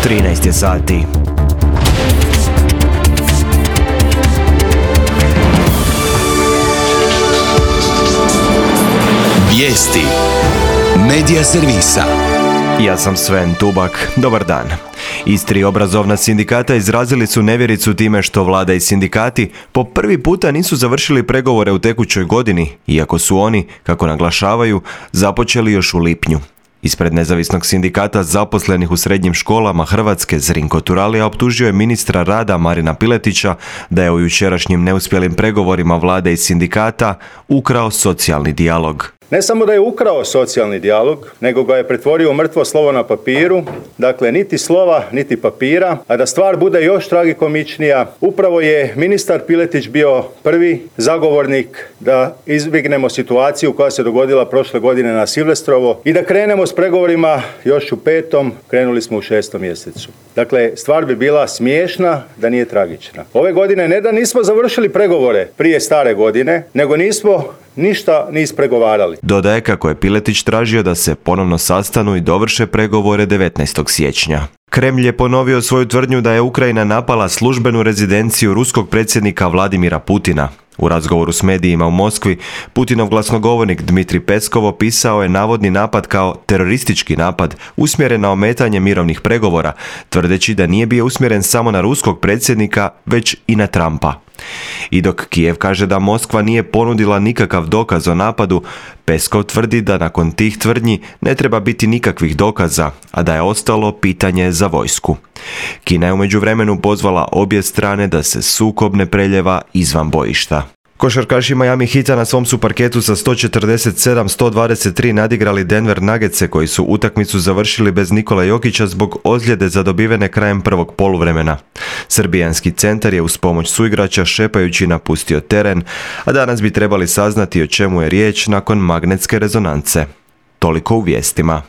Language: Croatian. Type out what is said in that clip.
13 je sati. Vijesti Medija servisa. Ja sam Sven Tubak. Dobar dan. Istri obrazovna sindikata izrazili su nevjericu time što vlada i sindikati po prvi puta nisu završili pregovore u tekućoj godini, iako su oni, kako naglašavaju, započeli još u lipnju. Ispred nezavisnog sindikata zaposlenih u srednjim školama Hrvatske Zrinko Turalija optužio je ministra rada Marina Piletića da je u jučerašnjim neuspjelim pregovorima vlade i sindikata ukrao socijalni dijalog. Ne samo da je ukrao socijalni dijalog, nego ga je pretvorio u mrtvo slovo na papiru, dakle niti slova, niti papira, a da stvar bude još tragikomičnija, upravo je ministar Piletić bio prvi zagovornik da izbjegnemo situaciju koja se dogodila prošle godine na Silvestrovo i da krenemo s pregovorima još u 5., krenuli smo u 6. mjesecu. Dakle, stvar bi bila smiješna da nije tragična. Ove godine ne da nismo završili pregovore prije stare godine, nego nismo ništa ni ispregovarali. Dodaje kako je Piletić tražio da se ponovno sastanu i dovrše pregovore 19. siječnja. Kremlj je ponovio svoju tvrdnju da je Ukrajina napala službenu rezidenciju ruskog predsjednika Vladimira Putina. U razgovoru s medijima u Moskvi, Putinov glasnogovornik Dmitrij Peskov opisao je navodni napad kao teroristički napad usmjeren na ometanje mirovnih pregovora, tvrdeći da nije bio usmjeren samo na ruskog predsjednika, već i na Trumpa. I dok Kijev kaže da Moskva nije ponudila nikakav dokaz o napadu, Peskov tvrdi da nakon tih tvrdnji ne treba biti nikakvih dokaza, a da je ostalo pitanje za vojsku. Kina je u međuvremenu pozvala obje strane da se sukob ne preljeva izvan bojišta. Košarkaši Miami Heata na svom su parketu sa 147-123 nadigrali Denver Nuggetse koji su utakmicu završili bez Nikola Jokića zbog ozljede zadobivene krajem prvog poluvremena. Srbijanski centar je uz pomoć suigrača šepajući napustio teren, a danas bi trebali saznati o čemu je riječ nakon magnetske rezonance. Toliko u vijestima.